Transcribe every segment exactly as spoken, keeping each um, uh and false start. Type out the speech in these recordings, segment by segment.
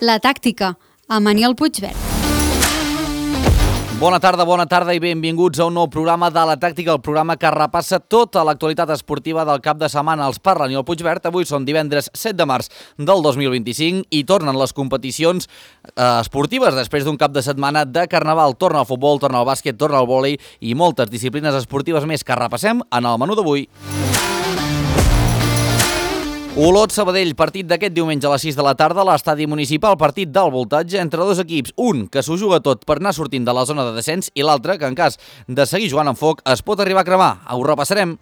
La tàctica, amb Aniol Puigvert. Bona tarda, bona tarda i benvinguts a un nou programa de La Tàctica, el programa que repassa tota l'actualitat esportiva del cap de setmana. Els parla Aniol Puigvert. Avui són divendres set de març del dos mil vint-i-cinc i tornen les competicions eh, esportives després d'un cap de setmana de carnaval. Torna el futbol, torna el bàsquet, torna el vòlei i moltes disciplines esportives més que repassem en el menú d'avui. Olot-Sabadell, partit d'aquest diumenge a les sis de la tarda a l'estadi municipal, partit del voltatge entre dos equips, un que s'ho juga tot per anar sortint de la zona de descens i l'altre que en cas de seguir jugant amb foc es pot arribar a cremar. Ho repassarem.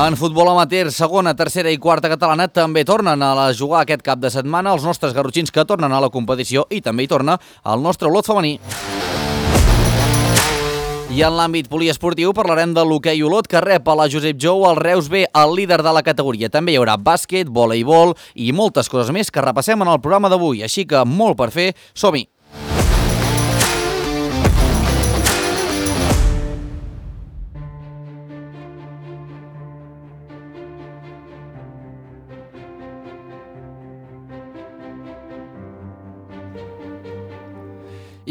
En futbol amateur, segona, tercera i quarta catalana també tornen a jugar aquest cap de setmana els nostres garrotxins que tornen a la competició i també hi torna el nostre Olot femení. I en l'àmbit poliesportiu parlarem de l'hoquei Olot, que rep a la Josep Jou el Reus B, el líder de la categoria. També hi haurà bàsquet, voleibol i moltes coses més que repassem en el programa d'avui. Així que molt per fer, som-hi!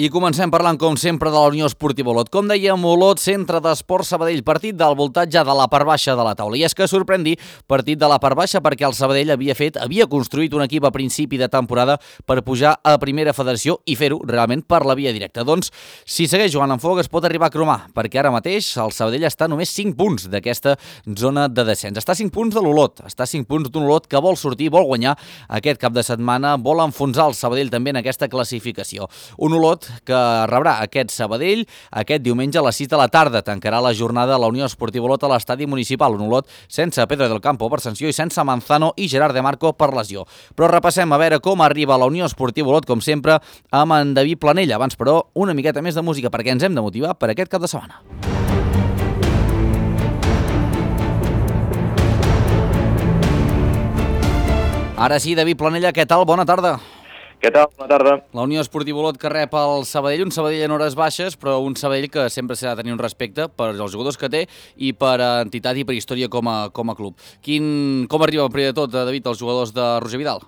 I comencem parlant, com sempre, de la Unió Esportiva Olot. Com dèiem, Olot, centre d'esport Sabadell, partit del voltatge de la part baixa de la taula. I és que sorprèn dir partit de la part baixa perquè el Sabadell havia fet, havia construït un equip a principi de temporada per pujar a primera federació i fer-ho realment per la via directa. Doncs, si segueix jugant amb foc, es pot arribar a cromar, perquè ara mateix el Sabadell està a només cinc punts d'aquesta zona de descens. Està a cinc punts de l'Olot, està a cinc punts d'un Olot que vol sortir, vol guanyar aquest cap de setmana, vol enfonsar el Sabadell també en aquesta classificació. Un Olot que rebrà aquest Sabadell aquest diumenge a les sis de la tarda. Tancarà la jornada a la Unió Esportiva Olot a l'estadi municipal. Un Olot sense Pedro del Campo per sanció i sense Manzano i Gerard de Marco per lesió. Però repassem a veure com arriba la Unió Esportiva Olot, com sempre, amb en David Planella. Abans, però, una miqueta més de música perquè ens hem de motivar per aquest cap de setmana. Ara sí, David Planella, què tal? Bona tarda. Què tal? Bona tarda. La Unió Esportiva Olot que rep el Sabadell, un Sabadell en hores baixes, però un Sabadell que sempre s'ha de tenir un respecte per els jugadors que té i per entitat i per història com a, com a club. Quin, com arriba, primer de tot, David, els jugadors de Roger Vidal?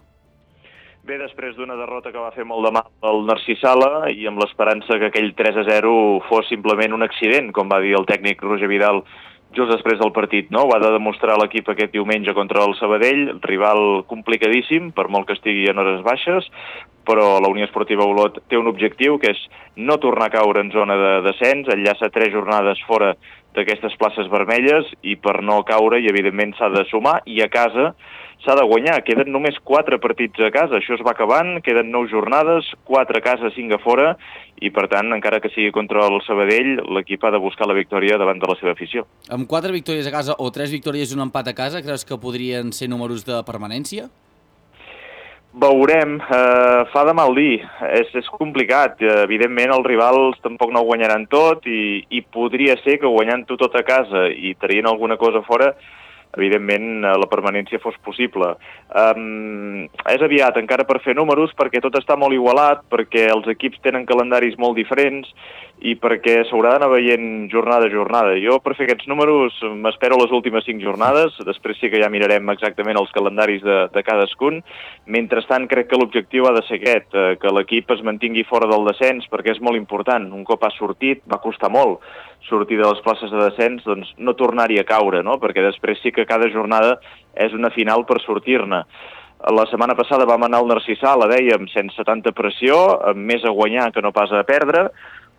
Bé, després d'una derrota que va fer molt de mal el Narcís Sala i amb l'esperança que aquell tres a zero fos simplement un accident, com va dir el tècnic Roger Vidal just després del partit, no? Ho ha de demostrar l'equip aquest diumenge contra el Sabadell, rival complicadíssim, per molt que estigui en hores baixes, però la Unió Esportiva Olot té un objectiu, que és no tornar a caure en zona de descens, enllaça tres jornades fora d'aquestes places vermelles i per no caure, i evidentment s'ha de sumar, i a casa s'ha de guanyar. Queden només quatre partits a casa, això es va acabant, queden nou jornades, quatre a casa, cinc a fora, i per tant, encara que sigui contra el Sabadell, l'equip ha de buscar la victòria davant de la seva afició. Amb quatre victòries a casa o tres victòries i un empat a casa, creus que podrien ser números de permanència? Veurem, eh, fa de mal dir, és, és complicat, eh, evidentment els rivals tampoc no ho guanyaran tot i, i podria ser que guanyant-ho tot a casa i traient alguna cosa fora, evidentment la permanència fos possible. Um, és aviat encara per fer números perquè tot està molt igualat, perquè els equips tenen calendaris molt diferents i perquè s'haurà d'anar veient jornada a jornada. Jo per fer aquests números m'espero les últimes cinc jornades, després sí que ja mirarem exactament els calendaris de, de cadascun. Mentrestant crec que l'objectiu ha de ser aquest, eh, que l'equip es mantingui fora del descens perquè és molt important. Un cop ha sortit, va costar molt sortir de les places de descens, doncs no tornar-hi a caure, no? Perquè després sí que cada jornada és una final per sortir-ne. La setmana passada vam anar al Narcís Sala, dèiem, sense tanta pressió, amb més a guanyar que no pas a perdre.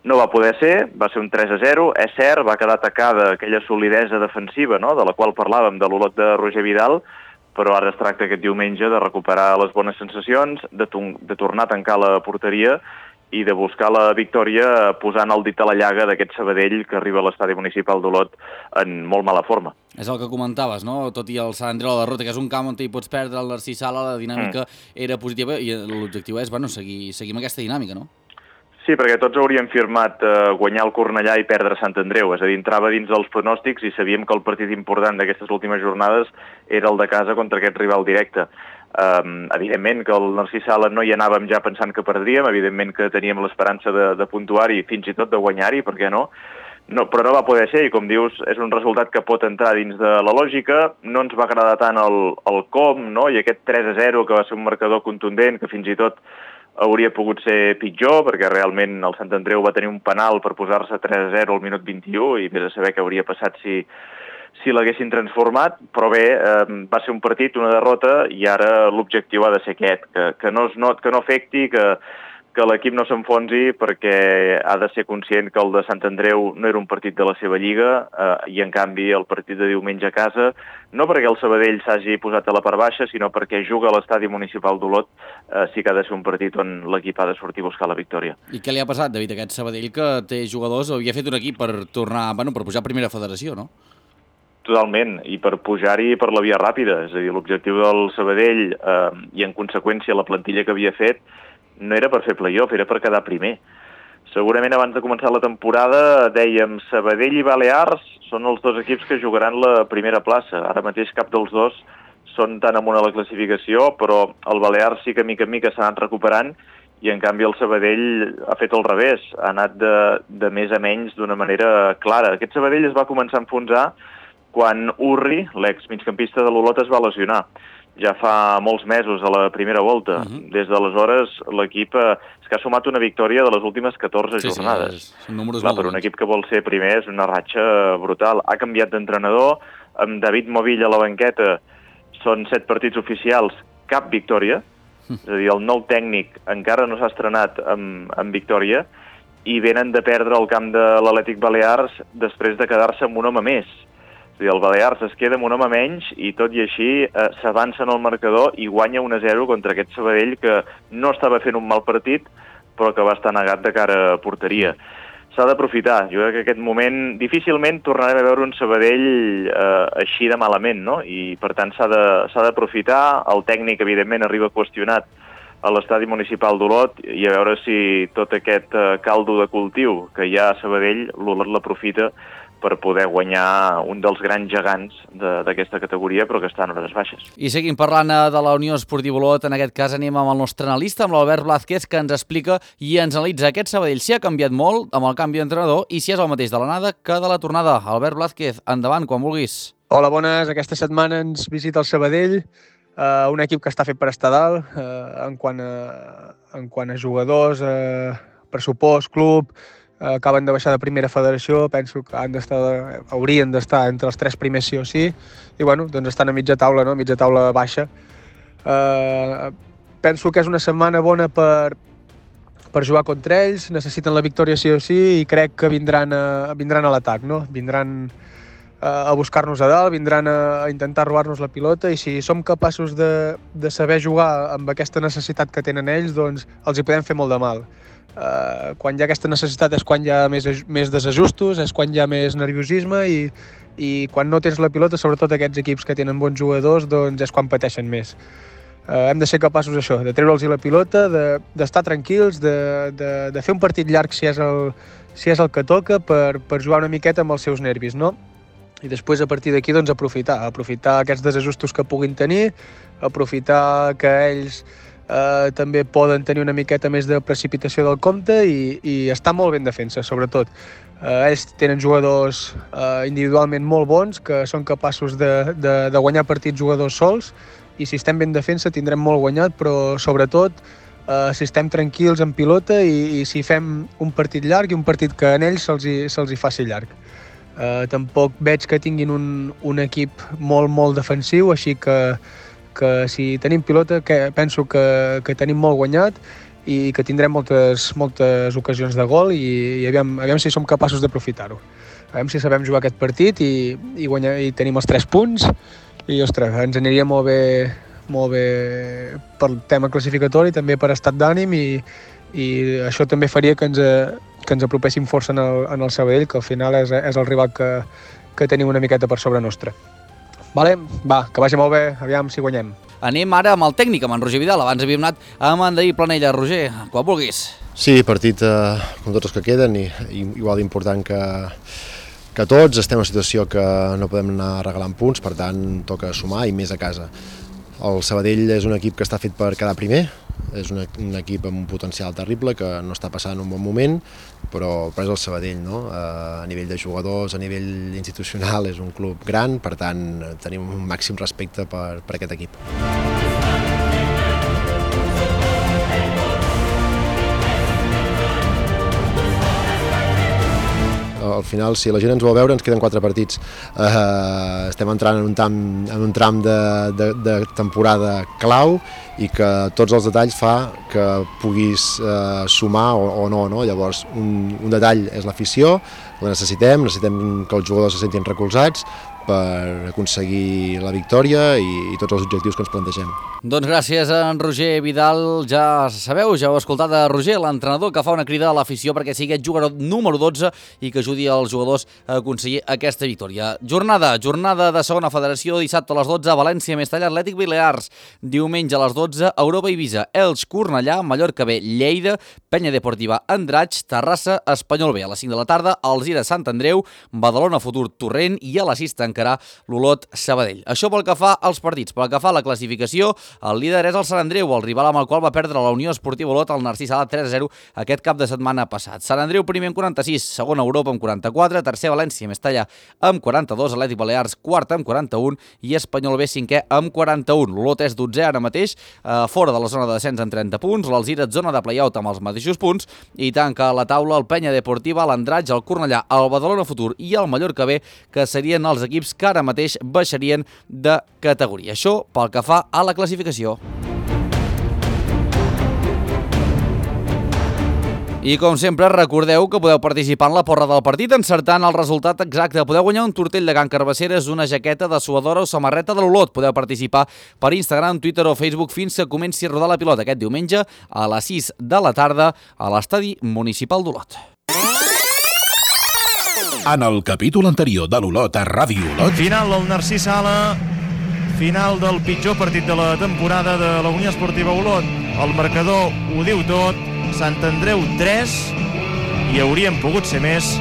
No va poder ser, va ser un tres a zero, és cert, va quedar atacada aquella solidesa defensiva, no?, de la qual parlàvem, de l'Olot de Roger Vidal, però ara es tracta aquest diumenge de recuperar les bones sensacions, de, de tornar a tancar la porteria i de buscar la victòria posant el dit a la llaga d'aquest Sabadell que arriba a l'estadi municipal d'Olot en molt mala forma. És el que comentaves, no? Tot i el Sant Andreu a la derrota, que és un camp on hi pots perdre el Narcís Sala, la dinàmica mm. era positiva i l'objectiu és, bueno, seguir, seguir amb aquesta dinàmica, no? Sí, perquè tots hauríem firmat eh, guanyar el Cornellà i perdre Sant Andreu, és a dir, entrava dins dels pronòstics i sabíem que el partit important d'aquestes últimes jornades era el de casa contra aquest rival directe. Um, evidentment que el Narcís Sala no hi anàvem ja pensant que perdríem, evidentment que teníem l'esperança de, de puntuar-hi, fins i tot de guanyar-hi, per què no? no, però no va poder ser, i com dius, és un resultat que pot entrar dins de la lògica. No ens va agradar tant el, el com, no? I aquest tres a zero, que va ser un marcador contundent, que fins i tot hauria pogut ser pitjor, perquè realment el Sant Andreu va tenir un penal per posar-se tres a zero al minut vint-i-u, i vés a saber què hauria passat si, si l'haguessin transformat, però bé, eh, va ser un partit, una derrota, i ara l'objectiu ha de ser aquest, que, que, no, es not, que no afecti, que, que l'equip no s'enfonsi, perquè ha de ser conscient que el de Sant Andreu no era un partit de la seva lliga, eh, i en canvi el partit de diumenge a casa, no perquè el Sabadell s'hagi posat a la part baixa, sinó perquè juga a l'estadi municipal d'Olot, eh, sí que ha de ser un partit on l'equip ha de sortir a buscar la victòria. I què li ha passat, David, a aquest Sabadell que té jugadors, havia fet un equip per tornar, bueno, per pujar a primera federació, no? Totalment, i per pujar-hi per la via ràpida, és a dir, l'objectiu del Sabadell eh, i en conseqüència la plantilla que havia fet no era per fer play-off, era per quedar primer. Segurament abans de començar la temporada dèiem Sabadell i Balears són els dos equips que jugaran la primera plaça. Ara mateix cap dels dos són tan amunt a la classificació, però el Balears sí que mica en mica s'ha anat recuperant i en canvi el Sabadell ha fet al revés, ha anat de, de més a menys d'una manera clara. Aquest Sabadell es va començar a enfonsar quan Urri, l'ex-migcampista de l'Olot, es va lesionar. Ja fa molts mesos a la primera volta. Uh-huh. Des d'aleshores l'equip eh, és que ha sumat una victòria de les últimes catorze sí, jornades. Sí, són números Clar, molt per un bons. equip que vol ser primer és una ratxa brutal. Ha canviat d'entrenador, amb David Movill a la banqueta són set partits oficials, cap victòria. Uh-huh. És a dir, el nou tècnic encara no s'ha estrenat amb, amb victòria i venen de perdre el camp de l'Atlètic Balears després de quedar-se amb un home més. És a dir, el Balears es queda amb un home menys i tot i així eh, s'avança en el marcador i guanya un a zero contra aquest Sabadell que no estava fent un mal partit però que va estar negat de cara a porteria. S'ha d'aprofitar. Jo crec que aquest moment difícilment tornarem a veure un Sabadell eh, així de malament, no? I per tant s'ha de, s'ha d'aprofitar. El tècnic evidentment arriba qüestionat a l'estadi municipal d'Olot i a veure si tot aquest eh, caldo de cultiu que hi ha a Sabadell l'Olot l'aprofita per poder guanyar un dels grans gegants d'aquesta categoria, però que està en hores baixes. I seguim parlant de la Unió Esportiva Olot. En aquest cas anem amb el nostre analista, amb l'Albert Blázquez, que ens explica i ens analitza aquest Sabadell. Si ha canviat molt amb el canvi d'entrenador i si és el mateix de l'anada que de la tornada. Albert Blázquez, endavant, quan vulguis. Hola, bones. Aquesta setmana ens visita el Sabadell, eh, un equip que està fet per estar dalt, eh, en, quant a, en quant a jugadors, eh, pressupost, club, acaben de baixar de primera federació, penso que han d'estar, haurien d'estar entre els tres primers sí o sí, i bueno, doncs estan a mitja taula, no? mitja taula baixa. Uh, penso que és una setmana bona per, per jugar contra ells, necessiten la victòria sí o sí i crec que vindran a, vindran a l'atac, no? Vindran a, a buscar-nos a dalt, vindran a, a intentar robar-nos la pilota i si som capaços de, de saber jugar amb aquesta necessitat que tenen ells, doncs els hi podem fer molt de mal. Uh, quan hi ha aquesta necessitat és quan hi ha més, més desajustos, és quan hi ha més nerviosisme i, i quan no tens la pilota, sobretot aquests equips que tenen bons jugadors, doncs és quan pateixen més. Uh, hem de ser capaços d'això, de treure'ls la pilota, d'estar de, tranquils, de, de, de fer un partit llarg si és el, si és el que toca per, per jugar una miqueta amb els seus nervis, no? I després a partir d'aquí doncs aprofitar, aprofitar aquests desajustos que puguin tenir, aprofitar que ells Uh, també poden tenir una miqueta més de precipitació del compte i, i estar molt ben defensa, sobretot. Uh, ells tenen jugadors uh, individualment molt bons que són capaços de, de, de guanyar partits jugadors sols i si estem ben defensa tindrem molt guanyat, però sobretot uh, si estem tranquils en pilota i, i si fem un partit llarg i un partit que en ells se'ls hi, se'ls hi faci llarg. Uh, tampoc veig que tinguin un, un equip molt, molt defensiu, així que que si tenim pilota que penso que, que tenim molt guanyat i que tindrem moltes, moltes ocasions de gol i, i aviam, aviam si som capaços d'aprofitar-ho. Aviam si sabem jugar aquest partit i, i, guanyar, i tenim els tres punts i, ostres, ens aniria molt bé, molt bé pel tema classificatori, també per estat d'ànim i, i això també faria que ens, que ens apropéssim força en el, en el Sabadell, que al final és, és el rival que, que tenim una miqueta per sobre nostra. Vale? Va, que vagi molt bé, aviam si guanyem. Anem ara amb el tècnic, amb en Roger Vidal. Abans havíem anat amb en David Planella. Roger, quan vulguis. Sí, partit eh, com tots els que queden i, i igual d'important que, que tots. Estem en una situació que no podem anar regalant punts, per tant toca sumar i més a casa. El Sabadell és un equip que està fet per quedar primer, és un, un equip amb un potencial terrible que no està passant un bon moment, però, però és el Sabadell, no? A nivell de jugadors, a nivell institucional, és un club gran, per tant tenim un màxim respecte per, per aquest equip. Al final, si la gent ens vol veure, ens queden quatre partits. Uh, estem entrant en un tram, en un tram de, de, de temporada clau i que tots els detalls fa que puguis uh, sumar o, o no, no. Llavors, un, un detall és l'afició, la necessitem, necessitem que els jugadors se sentin recolzats per aconseguir la victòria i, i tots els objectius que ens plantegem. Doncs gràcies a en Roger Vidal. Ja sabeu, ja heu escoltat a Roger, l'entrenador, que fa una crida a l'afició perquè sigui aquest jugador número dotze i que ajudi els jugadors a aconseguir aquesta victòria. Jornada, jornada de segona federació, dissabte a les dotze, València, Mestalla, Atlètic Balears. Diumenge a les dotze, Europa Eivissa, Elx, Cornellà, Mallorca B, Lleida, Penya Deportiva, Andratx, Terrassa, Espanyol B. A les cinc de la tarda, Alzira, Sant Andreu, Badalona, Futur, Torrent i a les sis tancarà l'Olot, Sabadell. Això pel que fa als partits. Pel que fa a la classificació, el líder és el Sant Andreu, el rival amb el qual va perdre la Unió Esportiva Olot al Narcís Sala tres a zero aquest cap de setmana passat. Sant Andreu primer amb quaranta-sis, segon Europa amb quaranta-quatre, tercer València, Mestalla amb quaranta-dos, Atlètic Balears quart amb quaranta-un i Espanyol B cinquè amb quaranta-un. L'Olot és dotzè ara mateix, eh, fora de la zona de descens amb trenta punts, l'Alzira zona de play-out amb els mateixos punts i tanca la taula el Penya Deportiva, l'Andratx, el Cornellà, el Badalona Futur i el Mallorca B, que serien els equips que ara mateix baixarien de categoria. Això pel que fa a la classificació. I com sempre, recordeu que podeu participar en la porra del partit encertant el resultat exacte. Podeu guanyar un tortell de Can Carbasseres, una jaqueta de suadora o samarreta de l'Olot. Podeu participar per Instagram, Twitter o Facebook fins que comenci a rodar la pilota aquest diumenge a les sis de la tarda a l'Estadi Municipal d'Olot. En el capítol anterior de l'Olot a Ràdio Olot... Final del Narcís Sala, final del pitjor partit de la temporada de la Unió Esportiva Olot. El marcador ho diu tot, Sant Andreu tres i haurien pogut ser més,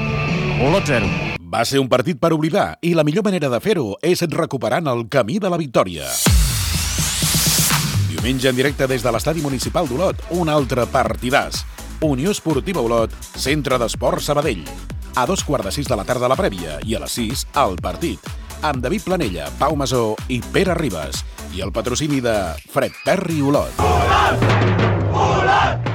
Olot zero. Va ser un partit per oblidar i la millor manera de fer-ho és recuperant el camí de la victòria. Diumenge en directe des de l'Estadi Municipal d'Olot, un altre partidàs. Unió Esportiva Olot, Centre d'Esports Sabadell. A dos quarts de sis de la tarda la prèvia i a les sis el partit, amb David Planella, Pau Masó i Pere Ribas. I el patrocini de Fred Perry Olot. Olot! Olot!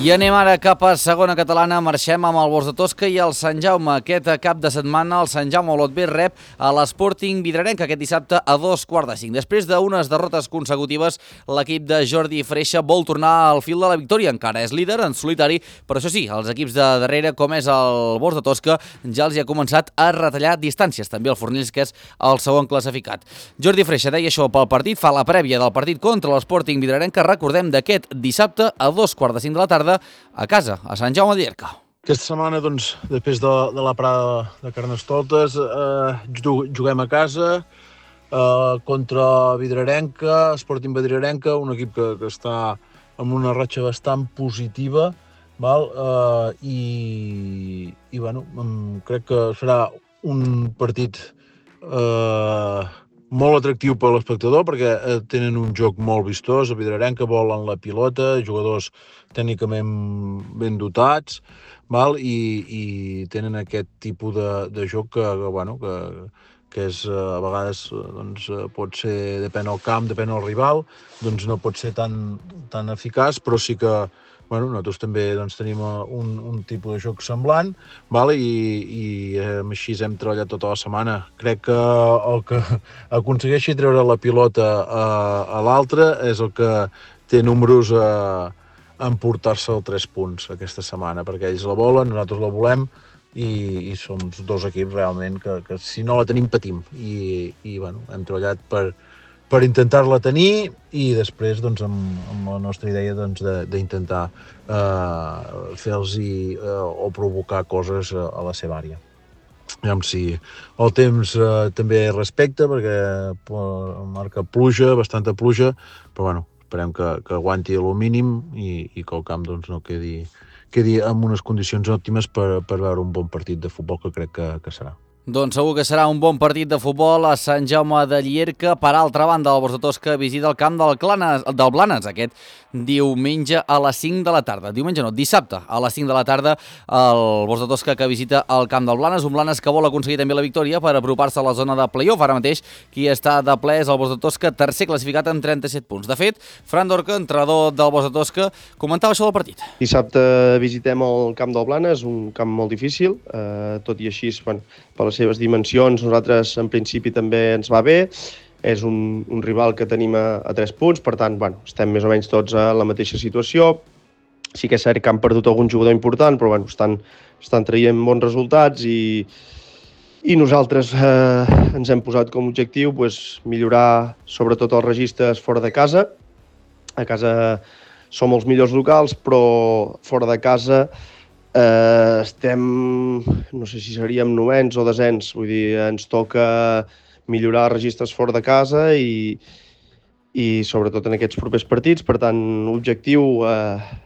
I anem ara cap a segona catalana, marxem amb el Bors de Tosca i el Sant Jaume. Aquest cap de setmana el Sant Jaume Olot B rep a l'Sporting Vidrarenca aquest dissabte a dos quarts de cinc. Després d'unes derrotes consecutives, l'equip de Jordi Freixa vol tornar al fil de la victòria. Encara és líder en solitari, però això sí, els equips de darrere, com és el Bors de Tosca, ja els hi ha començat a retallar distàncies. També el Fornells, que és el segon classificat. Jordi Freixa deia això pel partit, fa la prèvia del partit contra l'Sporting Vidrarenca, recordem, d'aquest dissabte a dos quarts de cinc de la tarda, a casa, a Sant Jaume de Llierca. Aquesta setmana, doncs, després de, de la parada de Carnestoltes, eh, juguem a casa eh, contra Vidrarenca, Sporting Vidrarenca, un equip que, que està amb una ratxa bastant positiva, val? Eh, i, i bueno, crec que serà un partit eh, molt atractiu per l'espectador perquè tenen un joc molt vistós, a Vidrarenca volen la pilota, jugadors tècnicament ben dotats, val? I, i tenen aquest tipus de, de joc que, que, bueno, que, que és, a vegades doncs, pot ser, depèn del camp, depèn del rival, doncs no pot ser tan, tan eficaç, però sí que bueno, nosaltres també doncs, tenim un, un tipus de joc semblant, val? I, i eh, així hem treballat tota la setmana. Crec que el que aconsegueixi treure la pilota a, a l'altre és el que té números a emportar-se els tres punts aquesta setmana, perquè ells la volen, nosaltres la volem, i, i som dos equips realment que, que si no la tenim patim. I, i bueno, hem treballat per per intentar-la tenir i després doncs, amb, amb la nostra idea doncs, d'intentar eh, fer-los eh, o provocar coses a, a la seva àrea. Aviam si el temps eh, també respecta perquè marca pluja, bastanta pluja, però bueno, esperem que, que aguanti el mínim i, i que el camp doncs, no quedi, quedi en unes condicions òptimes per, per veure un bon partit de futbol que crec que, que serà. Doncs segur que serà un bon partit de futbol a Sant Jaume de Llierca. Per altra banda, el Bosc de Tosca visita el camp del, Clanes, del Blanes aquest diumenge a les cinc de la tarda. Diumenge no, dissabte a les cinc de la tarda el Bosc de Tosca que visita el camp del Blanes. Un Blanes que vol aconseguir també la victòria per apropar-se a la zona de play-off. Ara mateix qui està de ple és el Bosc de Tosca, tercer classificat amb trenta-set punts. De fet, Fran Dorca, entrenador del Bosc de Tosca, comentava això del partit. Dissabte visitem el camp del Blanes, un camp molt difícil, eh, tot i així, bueno, per les seves dimensions, nosaltres en principi també ens va bé. És un, un rival que tenim a, a tres punts, per tant, bueno, estem més o menys tots a la mateixa situació. Sí que és cert que han perdut algun jugador important, però bueno, estan, estan traient bons resultats i, i nosaltres eh, ens hem posat com a objectiu pues, millorar sobretot els registres fora de casa. A casa som els millors locals, però fora de casa eh, estem, no sé si seríem novens o desens, vull dir, ens toca millorar registres fora de casa i, i sobretot en aquests propers partits. Per tant, l'objectiu eh,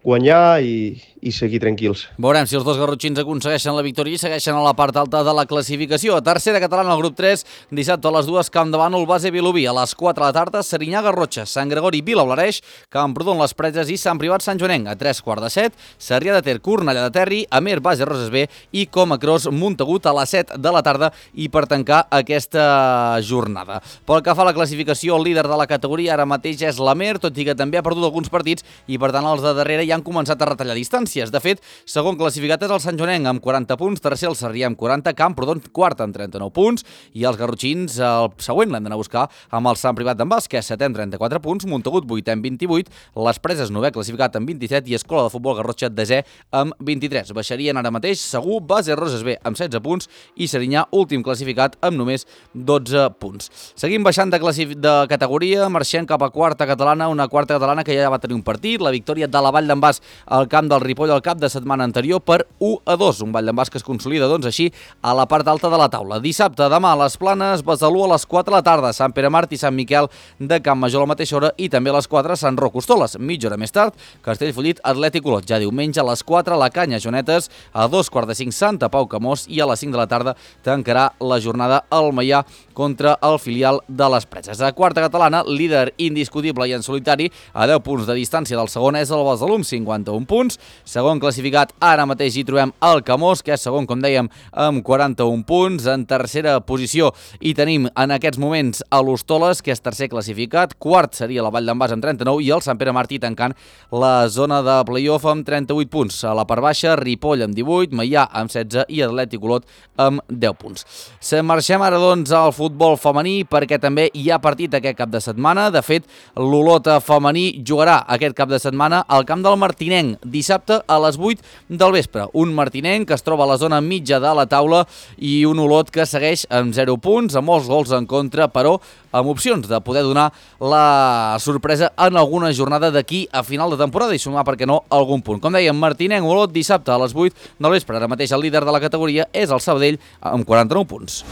guanyar i, i seguir tranquils. Veurem si els dos garrotxins aconsegueixen la victòria i segueixen a la part alta de la classificació. Tercera catalana al grup tres, dissabte a les dues, Camp de Bànol, Base Vilobí. A les quatre de la tarda, Serinyà, Garrotxa, Sant Gregori, Vilablareix, Camprodon, Les Preses i Sant Privat, Sant Joanenc. A tres quarts de set, Sarrià de Ter, Cornellà de Terri, Amer, Base Roses B i Comacros, Montagut a les set de la tarda i per tancar aquesta jornada. Pel que fa a la classificació, el líder de la categoria ara mateix és l'Amer, tot i que també ha perdut alguns partits i per tant els de darrere ja han començat a retallar distàncies. De fet, segon classificat és el Sant Joanenc amb quaranta punts, tercer el Sarrià amb quaranta, Camprodon quart amb trenta-nou punts i els garrotxins el següent l'hem d'anar a buscar amb el Sant Privat d'en Bas, que és setè amb trenta-quatre punts, Montagut vuitè amb vint-i-vuit, Les Preses novè classificat amb vint-i-set i Escola de Futbol Garrotxa desè amb vint-i-tres. Baixarien ara mateix segur Base Roses B amb setze punts i Serinyà últim classificat amb només dotze punts. Seguim baixant de, de categoria, marxem cap a quarta catalana, una quarta catalana que ja va tenir un partit, la victòria de la Vall d'en Bas al camp del Ripoll al cap de setmana anterior per u a dos, un Vall d'en Bas que es consolida doncs així a la part alta de la taula. Dissabte, demà a les Planes, Besalú a les quatre de la tarda, Sant Pere Mart i Sant Miquel de Camp Major a la mateixa hora i també a les quatre Sant Roc Hostoles. Mitja hora més tard, Castellfollit, Atlètic Olot. Ja diumenge a les quatre, la Canya Jonetes, a dos quarts de cinc Santa Pau Camós i a les cinc de la tarda tancarà la jornada al Maià contra el filial de les Preses. A quarta catalana, líder indiscutible i en solitari, a deu punts de distància del segon és el Besalú amb cinquanta-un punts. Segon classificat, ara mateix hi trobem el Camós, que és segon, com dèiem, amb quaranta-un punts. En tercera posició hi tenim en aquests moments a l'Hostoles, que és tercer classificat. Quart seria la Vall d'en Bas amb trenta-nou i el Sant Pere Martí tancant la zona de play-off amb trenta-vuit punts. A la part baixa, Ripoll amb divuit, Maià amb setze i Atlètic Olot amb deu punts. Se marxem ara doncs al futbol femení perquè també hi ha partit aquest cap de setmana. De fet, l'Olot femení jugarà aquest cap de setmana al camp del Martinenc dissabte a les vuit del vespre. Un Martinenc que es troba a la zona mitja de la taula i un Olot que segueix amb zero punts, amb molts gols en contra, però amb opcions de poder donar la sorpresa en alguna jornada d'aquí a final de temporada i sumar, perquè no, algun punt. Com dèiem, Martinenc, Olot, dissabte a les vuit del vespre. Ara mateix el líder de la categoria és el Sabadell amb quaranta-nou punts.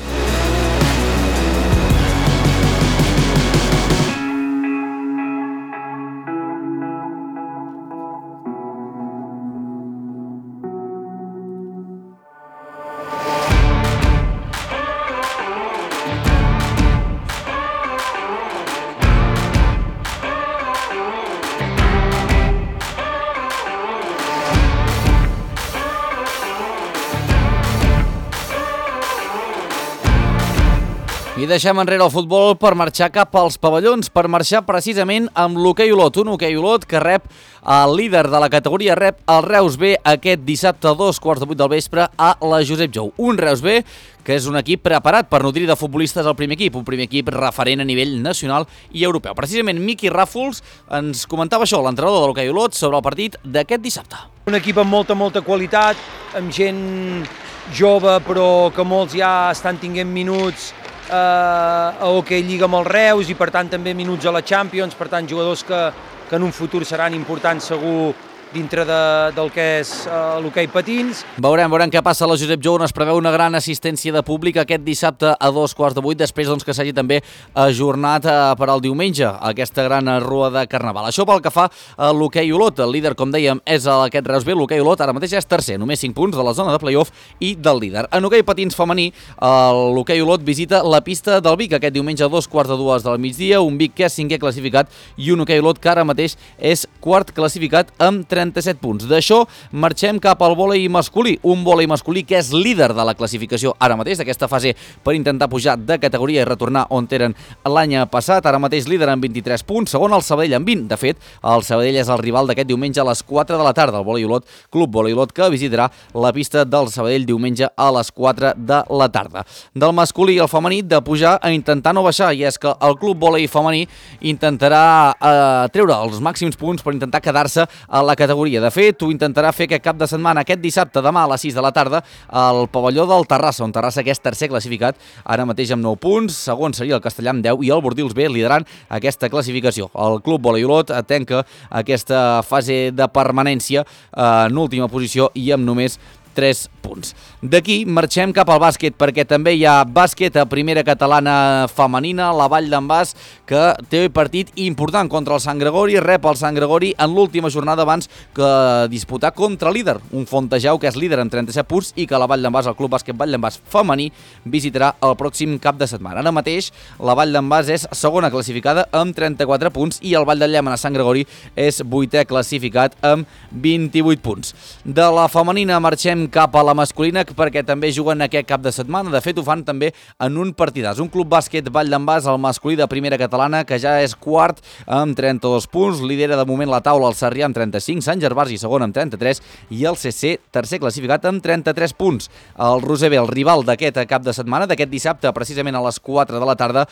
I deixem enrere el futbol per marxar cap als pavellons, per marxar precisament amb l'hoquei Olot, un hoquei Olot que rep el líder de la categoria, rep el Reus B aquest dissabte a dos quarts de vuit del vespre a la Josep Jou. Un Reus B que és un equip preparat per nodrir de futbolistes el primer equip, un primer equip referent a nivell nacional i europeu. Precisament Miqui Ràfols ens comentava això, l'entrenador de l'hoquei Olot, sobre el partit d'aquest dissabte. Un equip amb molta, molta qualitat, amb gent jove però que molts ja estan tinguent minuts eh, a Hockey Lliga amb els Reus i per tant també minuts a la Champions, per tant jugadors que, que en un futur seran importants segur dintre de, del que és uh, l'hoquei patins. Veurem, veurem què passa a la Josep Jou, on es preveu una gran assistència de públic aquest dissabte a dos quarts de vuit, després doncs, que s'hagi també ajornat eh, per al diumenge aquesta gran rua de Carnaval. Això pel que fa a l'hoquei Olot. El líder, com dèiem, és aquest Reus B. L'hoquei Olot ara mateix és tercer, només cinc punts de la zona de play-off i del líder. En hoquei patins femení, l'hoquei Olot visita la pista del Vic aquest diumenge a dos quarts de dues del migdia, un Vic que és cinquè classificat i un hoquei Olot que ara mateix és quart classificat amb trenta-set punts. D'això marxem cap al vòlei masculí, un vòlei masculí que és líder de la classificació ara mateix d'aquesta fase per intentar pujar de categoria i retornar on eren l'any passat. Ara mateix líder amb vint-i-tres punts, segon el Sabadell amb vint. De fet, el Sabadell és el rival d'aquest diumenge a les quatre de la tarda, el vòlei Olot, Club Vòlei Olot, que visitarà la pista del Sabadell diumenge a les quatre de la tarda. Del masculí i el femení, de pujar a intentar no baixar, i és que el Club Vòlei femení intentarà eh, treure els màxims punts per intentar quedar-se a la categoria. De fet, ho intentarà fer aquest cap de setmana, aquest dissabte, demà a les sis de la tarda, al pavelló del Terrassa, on Terrassa que és tercer classificat, ara mateix amb nou punts, segon seria el Castellà amb deu i el Bordils B liderant aquesta classificació. El Club Vòlei Olot tanca aquesta fase de permanència en última posició i amb només tres punts. D'aquí marxem cap al bàsquet, perquè també hi ha bàsquet a primera catalana femenina, la Vall d'en Bas, que té partit important contra el Sant Gregori, rep el Sant Gregori en l'última jornada abans que disputar contra líder, un Fontejau que és líder amb trenta-set punts i que la Vall d'en Bas, el Club Bàsquet Vall d'en Bas femení, visitarà el pròxim cap de setmana. Ara mateix la Vall d'en Bas és segona classificada amb trenta-quatre punts i el Vall de Llémena Sant Gregori és vuitè classificat amb vint-i-vuit punts. De la femenina marxem cap a la masculina, perquè també juguen aquest cap de setmana. De fet, ho fan també en un partidàs. Un Club Bàsquet Vall d'en Bas, el masculí de primera catalana, que ja és quart amb trenta-dos punts. Lidera de moment la taula el Sarrià amb trenta-cinc, Sant Gervasi segon amb trenta-tres i el C C tercer classificat amb trenta-tres punts. El Roser B, el rival d'aquest cap de setmana, d'aquest dissabte, precisament a les quatre de la tarda,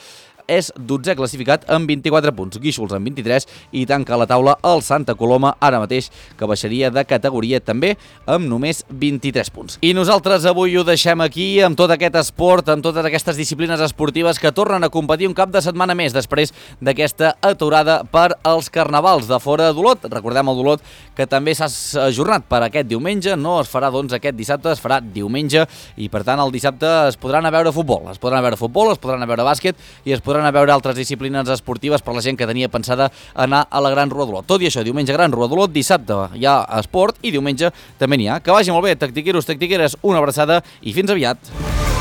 és dotzè classificat amb vint-i-quatre punts, Guíxols amb vint-i-tres i tanca la taula el Santa Coloma, ara mateix que baixaria de categoria també amb només vint-i-tres punts. I nosaltres avui ho deixem aquí amb tot aquest esport, amb totes aquestes disciplines esportives que tornen a competir un cap de setmana més després d'aquesta aturada per als carnavals de fora d'Olot. Recordem el d'Olot que també s'ha ajornat per aquest diumenge, no es farà doncs aquest dissabte, es farà diumenge i per tant el dissabte es podran a veure futbol, es podran a veure futbol, es podran a veure bàsquet i es podran a veure altres disciplines esportives per la gent que tenia pensada anar a la Gran Rua d'Olot. Tot i això, diumenge Gran Rua d'Olot, dissabte hi ha esport i diumenge també n'hi ha. Que vagi molt bé, tactiqueros, tactiqueres, una abraçada i fins aviat.